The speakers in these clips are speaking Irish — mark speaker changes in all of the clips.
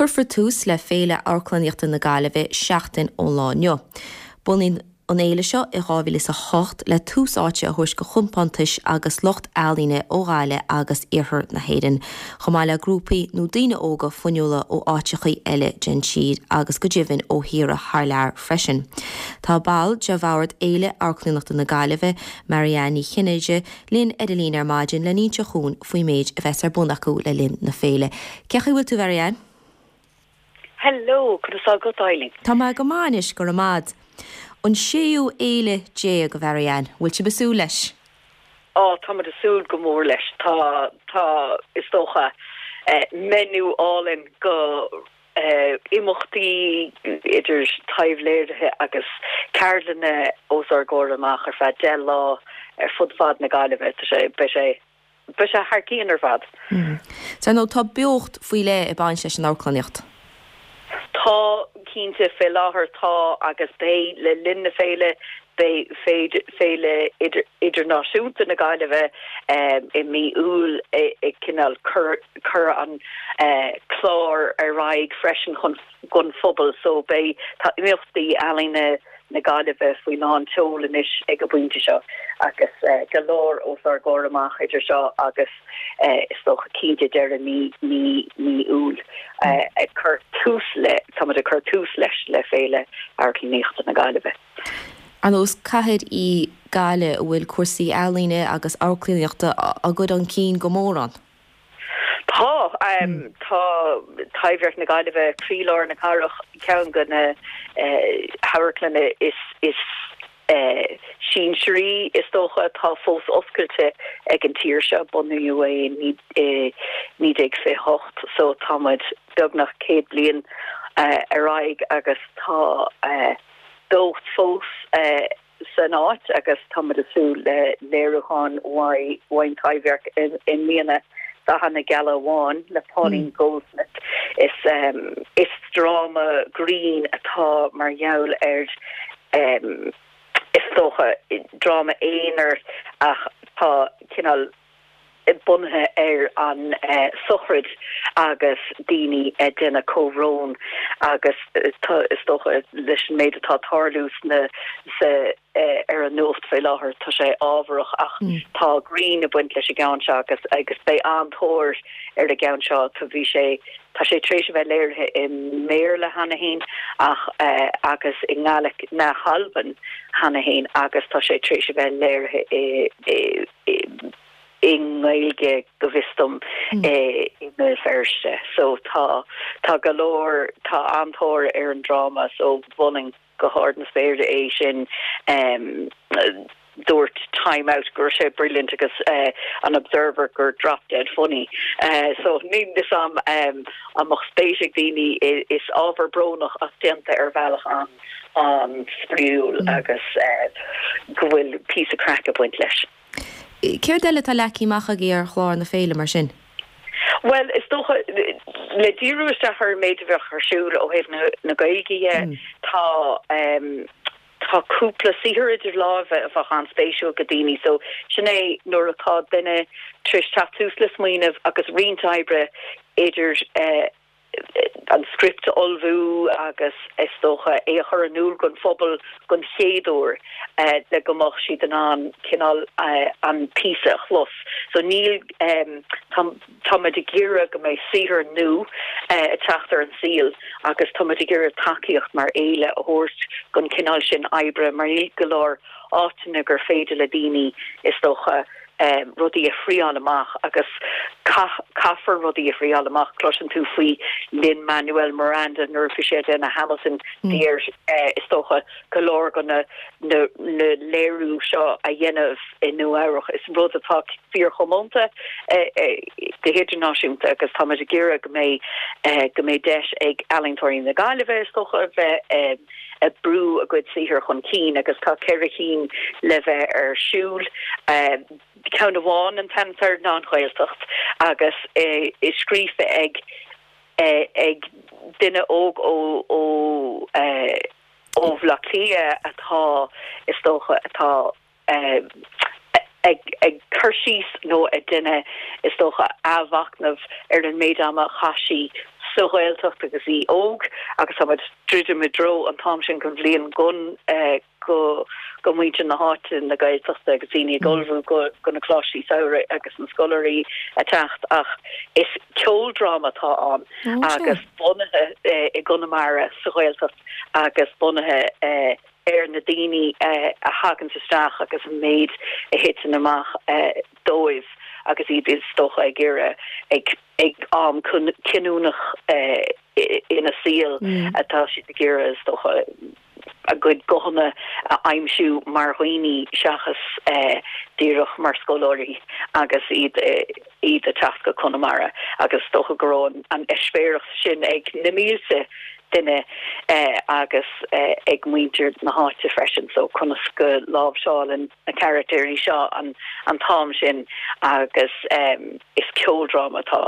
Speaker 1: Cuirfear tús le Féile Amharclannaíochta na Gaillimhe seachtain ón lá inniu. Bunaíodh an fhéile seo i 2008 le tús áite a thabhairt go chompántais agus lucht ealaíne ó Ghaillimh agus iarthar na hÉireann, chomh maith le grúpaí nó daoine óga fuinniúla ó áiteachaí eile den tír agus go deimhin ó thíortha thar lear freisin. Tá ball de bhord Fhéile Amharclannaíochta na Gaillimhe, Marianne Ní Chinnéide, linn ar an líne ar maidin le n-inseacht dhúinn faoin méid a bheas ar bun acu le linn na féile. Cén chaoi a bhfuil tú, Mharianne?
Speaker 2: Hello, conas tá agat, Eileen?
Speaker 1: Tá mé go maith anois, go raibh maith a'd. An séú fhéile a Mharianne, bhfuil sibh ag súil leis?
Speaker 2: Á, táimid ag súil go mór leis. Tá, tá, is dócha, menu álainn go imeachtaí idir taibhléirithe agus ceardlanna os ár gcomhair amach ar feadh 10 lá ar fud fad na Gaillimhe. Tá sé, beidh sé, beidh sé thar cionn ar fad.
Speaker 1: Dar ndóigh, tá beocht faoi leith ag baint leis an amharclannaíocht.
Speaker 2: Tá, cinnte, fé láthair tá agus beidh le linn na féile, beidh Féile Idirnáisiúnta na Gaillimhe i mí Iúil ag cineál cur cur an clár ar aghaidh freisin chun don phobal so beidh tá imeachtaí ealaíne na Gaillimhe faoi lán tseoil anois ag an bpointe seo agus go leor os ár gcomhair amach idir seo agus is dócha cinnte deireadh mí mí mí Iúil ag cur tús le táimid ag cur tús leis le Féile Amharclannaíochta na Gaillimhe.
Speaker 1: Ar ndóigh is cathair í Gaillimh a bhfuil cúrsaí ealaíne agus amharclannaíochta á gcur chun cinn go mór ann.
Speaker 2: Tá. Tá Taibhdhearc na Gaillimhe, croílár na cathrach, ceann de na hamharclanna is sinsearaí, is dócha, atá fós oscailte ag an tír seo. Bunaíodh é i 1928 so tá muid beagnach 100 bliain ar aghaidh agus tá beocht fós san áit agus táimid ag súil le léiriúchán uaidh an Taibhdhearc i mbliana, Dathanna Geala Amháin le Pauline Goldsmith. Is is dráma grinn atá mar gheall ar is dócha dráma aonair ach tá cineál bunaithe ar an sochraid agus daoine ag déanamh comhbhrón agus is dócha leis an méid atá ag tarlú sna sa ar an nuacht fé láthair tá sé ábharach ach tá greann ag baint leis an gceann seo agus agus beidh an-tóir ar an gceann seo tá bhí sé tá sé tar éis a bheith léirithe i mBéarla cheana féin ach agus i nGaelic na hAlban cheana féin agus tá sé tar éis a bheith léirithe i i nGaeilge go bhfios dom i mBéal Feirste. So tá tá go leor tá an-tóir ar an dráma so mholfainn go hard na spéire é sin. Dúirt Time Out go raibh sé brilliant agus an Observer gur drop dead funny. So níl fhios a'm an mbeadh spéis ag daoine is ábhar brónach ach déanta ar bhealach an an-spraíúil agus go bhfuil píosa craic ag baint leis.
Speaker 1: Céard eile atá leagtha amach agaibh ar chlár na féile mar sin?
Speaker 2: Bhuel, is dócha, le díriú isteach ar an méid a bheadh ar siúl ó thaobh na Gaeilge dhe, tá tá cúpla saothar idir láimhe a bheadh an-spéisiúil go daoine. So, sin é nuair atá duine tar éis teacht suas le smaoineamh agus roinnt oibre idir an script a ullmhú agus is dócha é a chur in iúl don phobal don chéad uair le go mbeadh siad in ann cineál an píosa a chlos. So níl, tá, táimid ag iarraidh go mbeidh saothar nua ag teacht ar an saol agus táimid ag iarraidh tacaíocht mar fhéile a thabhairt don chineál sin oibre mar níl go leor áiteanna gur féidir le daoine is dócha rudaí a thriáil amach agus caithfear rudaí a thriáil amach. Cloiseann tú faoi Lin Manuel Miranda nuair a bhí sé ag déanamh Hamilton, bhí air is dócha go leor de na na léiriú seo a dhéanamh i Nua Eabhrach. Is rud atá fíorchomónta go hidirnáisiúnta agus táimid ag iarraidh go mbeidh go mbeidh deis ag ealaíontóirí na Gaillimhe is dócha a bheith ag brú a gcuid saothair chun cinn agus tá 4 chinn le bheith ar siúl. Ceann amháin an t-ainm atá air ná An Ghaeltacht agus é scríofa ag ag duine óg ó ó ó Bhaile Átha Cliath atá is dócha atá ag cur síos nó ag déanamh, is dócha, athmhachnamh ar an méid ama a chaith sí sa Ghaeltacht agus í óg agus tá muid druidim i dtreo an t-am sin den bhliain gon go go muintir na háite, na Gaeltachta agus daoine ag ullmhú go go na coláistí samhraidh agus na scoláirí ag teacht ach is ceoldráma atá ann agus bunaithe i gConamara sa Ghaeltacht agus bunaithe ar na daoine a thaganns isteach agus an méid a thiteann amach dóibh agus iad is dócha ag iarraidh ag ag am cinniúnach ina saol atá siad ag iarraidh is dócha a gcuid guthanna a aimsiú mar dhaoine seachas díreach mar scoláirí agus iad iad ag teacht go Conamara agus is dócha go raibh an eispéireas sin ag na mílte duine agus ag muintir na háite freisin so conas go láimhseálann na carachtair seo an an t-am sin agus is ceoldráma atá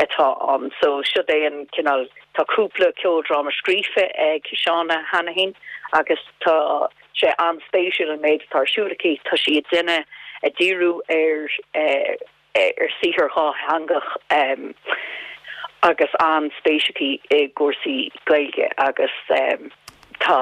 Speaker 2: atá ann so siod é an cineál tá cúpla ceoldráma scríofa ag Shauna Hanahan agus tá sé an-spéisiúil an méid atá ar siúl aici tá sí ag déanamh ag díriú ar ar saothar dhátheangach agus an-spéis aici i gcúrsaí Gaeilge agus tá,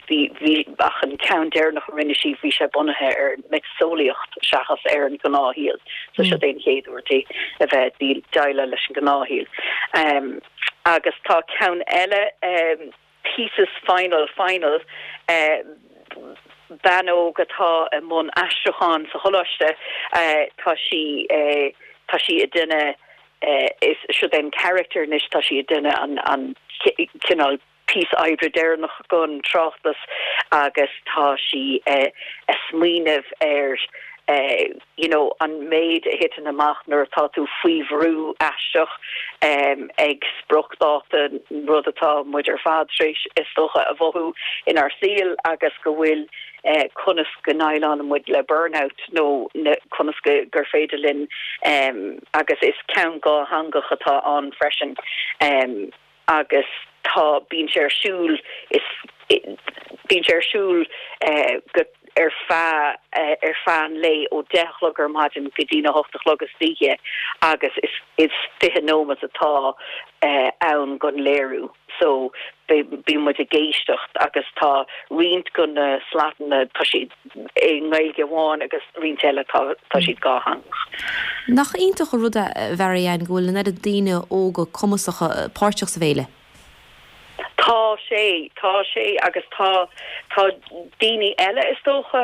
Speaker 2: bhí, bhí, ach an ceann deireanach a rinne sí, bhí sé bunaithe ar mhiotaseolaíocht seachas ar an ghnáthshaol so seo é an chéad uair di a bheith ag déileáil leis an ghnáthshaol. Agus tá ceann eile. Thesis Final Final, bean óg atá i mbun aistriúcháin sa choláiste, tá sí, tá sí ag déanamh, is siod é an charachtar anois, tá sí ag déanamh an, an cineál píosa oibre deireanach don tráchtas agus tá sí ag smaoineamh ar you know an méid a thiteann amach nuair atá tú faoi bhrú aisteach ag spriocdháta, rud atá muid ar fad tar éis is dócha a mhothú inár saol agus go bhfuil conas go ndéileálann muid le burnout nó conas go gur féidir linn agus is ceann dhátheangach atá ann freisin. agus tá, bíonn sé ar siúl, is, bíonn sé ar siúl go, ar feadh, ar feadh an lae ó deich a chlog ar maidin go dtí na hocht a chlog istoíche agus is, is 20 nóimeat atá ann don léiriú so bíonn muid ag éisteacht agus tá roinnt de na slatanna, tá siad i nGaeilge amháin agus roinnt eile tá, tá siad dhátheangach.
Speaker 1: Nach iontach an rud é, a Mhary-Ann, go bhfuil an oiread daoine óga cumasacha páirteach sa bhféile?
Speaker 2: Tá sé, tá sé agus tá, tá daoine eile is dócha,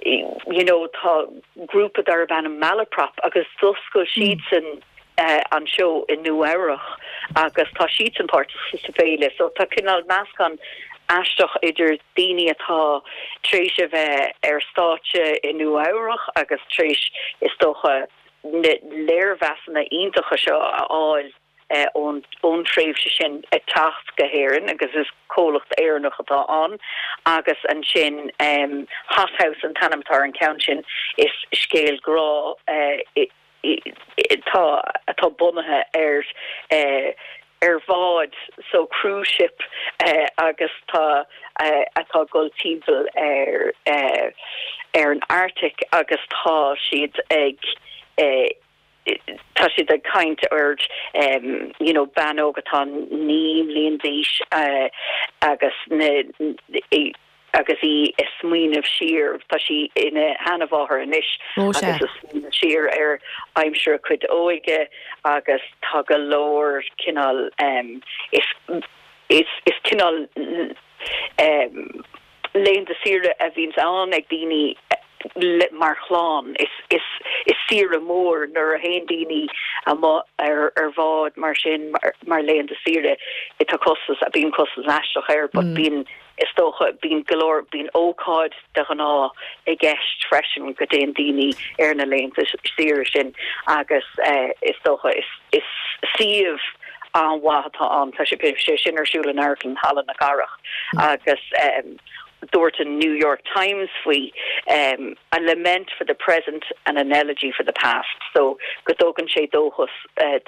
Speaker 2: you know tá grúpa darb ainm Malaprop agus d'oscail siadsan an seó i Nua Eabhrach agus tá siadsan páirteach sa bhféile so tá cineál meascán aisteach idir daoine atá tar éis a bheith ar stáitse i Nua Eabhrach agus tar éis is dócha na léirmheasanna iontacha seo a fháil ón ón tréimhse sin ag teacht go hÉirinn agus is comhlacht Éireannach atá ann agus ansin Hothouse an t-ainm atá ar an ceann sin is scéal grá atá atá bunaithe ar ar bhád so cruise ship agus tá atá ag dul timpeall ar ar an Arctic agus tá siad ag tá siad ag caint ar you know bean óg atá 9 mbliain d'aois agus na agus í ag smaoineamh siar, tá sí ina sheanmháthair anois, agus ag smaoineamh siar ar aimsir a cuid óige agus tá go leor cineál is is is cineál laethanta saoire a bhíonns ann ag daoine mar chlann. Is is is saoire mór nuair a théann daoine amuigh ar ar bhád mar sin mar laethanta saoire. Tá costas, bíonn costas aisteach air but bíonn is dócha, bíonn go leor, bíonn ócáid de ghnáth i gceist freisin go dtéann daoine ar na laethanta saoire sin agus is dócha is is suíomh an-mhaith atá ann. Tá sé sin ar siúl in Amharclann Halla na Cathrach agus dúirt an New York Times faoi a lament for the present and an elegy for the past so go dtugann sé dóchas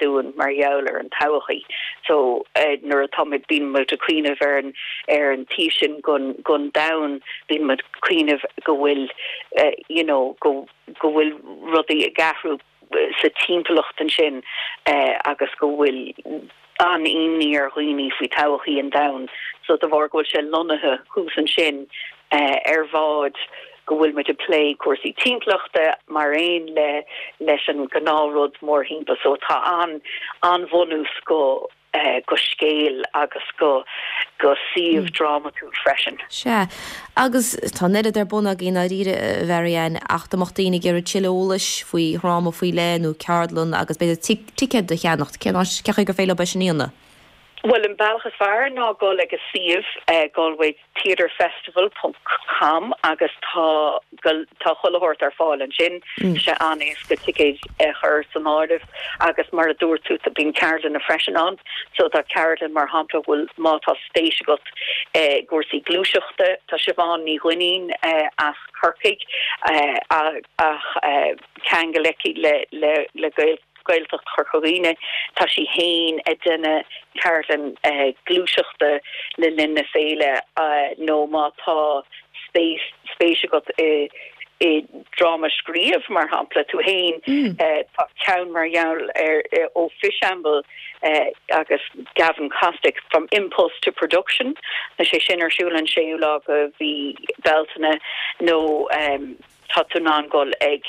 Speaker 2: dúinn mar gheall ar an todhchaí. So nuair atá muid, bíonn muid ag cuimhneamh ar an ar an taobh sin den den domhan, bíonn muid ag cuimhneamh go bhfuil you know go go bhfuil rudaí ag athrú. sa timpeallacht ansin agus go bhfuil an-imní ar dhaoine faoi todhchaí an domhain so de bharr go bhfuil sé lonnaithe thuas ansin ar bhád go bhfuil muid ag plé cúrsaí timpeallachta mar aon le leis an gnáthrud mórthimpeall so tá an an-bhunús go go scéal agus go go suíomh drámatúil freisin.
Speaker 1: Sea. Agus tá an oiread ar bun agaibh i ndáiríre, a Mhary Ann, ach dá mbeadh daoine ag iarraidh tuilleadh eolais faoi dhráma faoi leith nó ceardlann agus b'fhéidir ticéad a cheannacht, cén áit, cén chaoi gur féidir leo é sin a dhéanamh?
Speaker 2: Bhuel, an bealach is fearr ná dul ag an suíomh, Galway Theatre Festival ponc com agus tá tá chuile shórt ar fáil ansin. Tá sé an-éasca ticéid a chur san áireamh agus mar a dúirt tú bíonn ceardlanna freisin ann. So tá ceardlann mar shampla bhfuil má tá spéis agat i gcúrsaí gluaiseachta, tá Siobhán Ní Dhuinnín as Corcaigh ach ceangal aici le le le Gael Gaeltacht Chorca Dhuibhne. Tá sí féin ag déanamh ceardlann gluaiseachta le linn na féile nó má tá spéis spéis agat i i dráma a scríobh, mar shampla, tú féin, tá ceann mar gheall ar ó Fishamble agus Gavin Kostick, From Impulse to Production, tá sé sin ar siúl an séú lá de mhí Bealtaine nó. tá tú in ann dul ag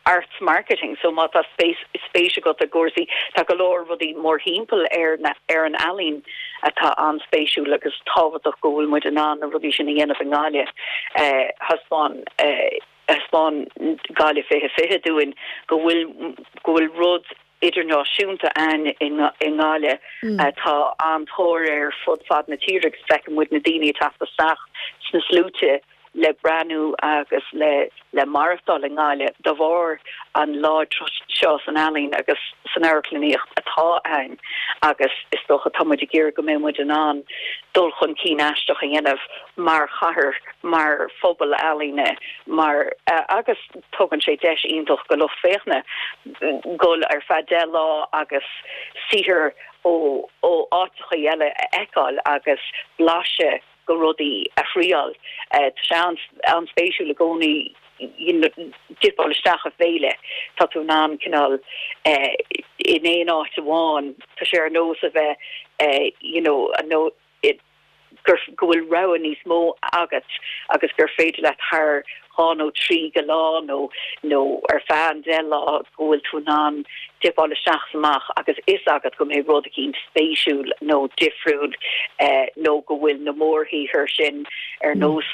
Speaker 2: arts marketing so má tá spéis agat i gcúrsaí, tá go leor rudaí mórthimpeall ar na ar an ealaín atá an-spéisiúil agus tábhachtach go bhfuil muid in ann na rudaí sin a dhéanamh i nGaillimh. Thaispeáin thaispeáin Gaillimh 2020 dúinn go bhfuil go bhfuil rud idirnáisiúnta ann i nGaillimh atá an-tóir air fud fad na tíre agus feiceann muid na daoine ag teacht isteach sna sluaite le breathnú agus le le maireachtáil i nGaillimh de bharr an láidreacht seo san ealaín agus san amharclannaíocht atá ann agus is dócha tá muid ag iarraidh go mbeidh muid in ann dul chun cinn aisteach a dhéanamh mar chathair, mar phobal ealaíne, mar agus tugann sé deis iontach go lucht féachana dul ar feadh 10 lá agus saothar ó ó áiteachaí eile a fheiceáil agus blaiseadh go rudaí a thriáil. Tá sé an-spéisiúil i gcónaí dipeáil isteach i bhféile. Tá tú in ann cineál in aon áit amháin, tá sé ar nós a bheith you know gur go bhfuil rogha níos mó agat agus gur féidir leat thar 2 nó 3 go lá nó nó ar feadh an 10 lá go bhfuil tú in ann dipeáil isteach is amach agus fhios agat go mbeidh rud eicínt spéisiúil nó difriúil nó go bhfuil na mórshaothair sin ar nós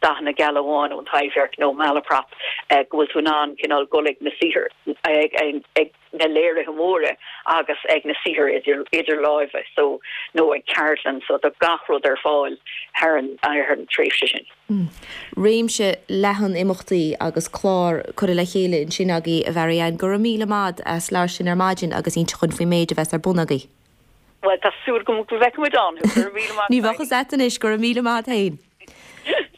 Speaker 2: Dathanna Geala Amháin ón Taibhdhearc nó Malaprop go bhfuil tú in ann cineál dul ag na saothair ag na léirithe móra agus ag na saothair idir láimhe so nó ag ceardlann so tá gach rud ar fáil thar an tréimhse sin.
Speaker 1: Réimse leathan imeachtaí agus clár curtha le chéile ansin agaibh a Mhary Ann. Go raibh míle maith a't as labhairt linn ar maidin agus inse dhúinn faoin méid a bheas ar bun agaibh.
Speaker 2: Bhuel tá súil agam go bhfeicfidh muid ann thú. Go raibh míle maith
Speaker 1: Ní bheadh fhios a't anois, go raibh míle maith a't fhéin.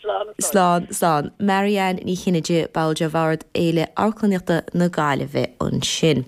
Speaker 2: Slán.
Speaker 1: Slán, slán. Mary Ann Ní Chinnéide, ball de Bhord Fhéile Amharclannaíochta na Gaillimhe ansin.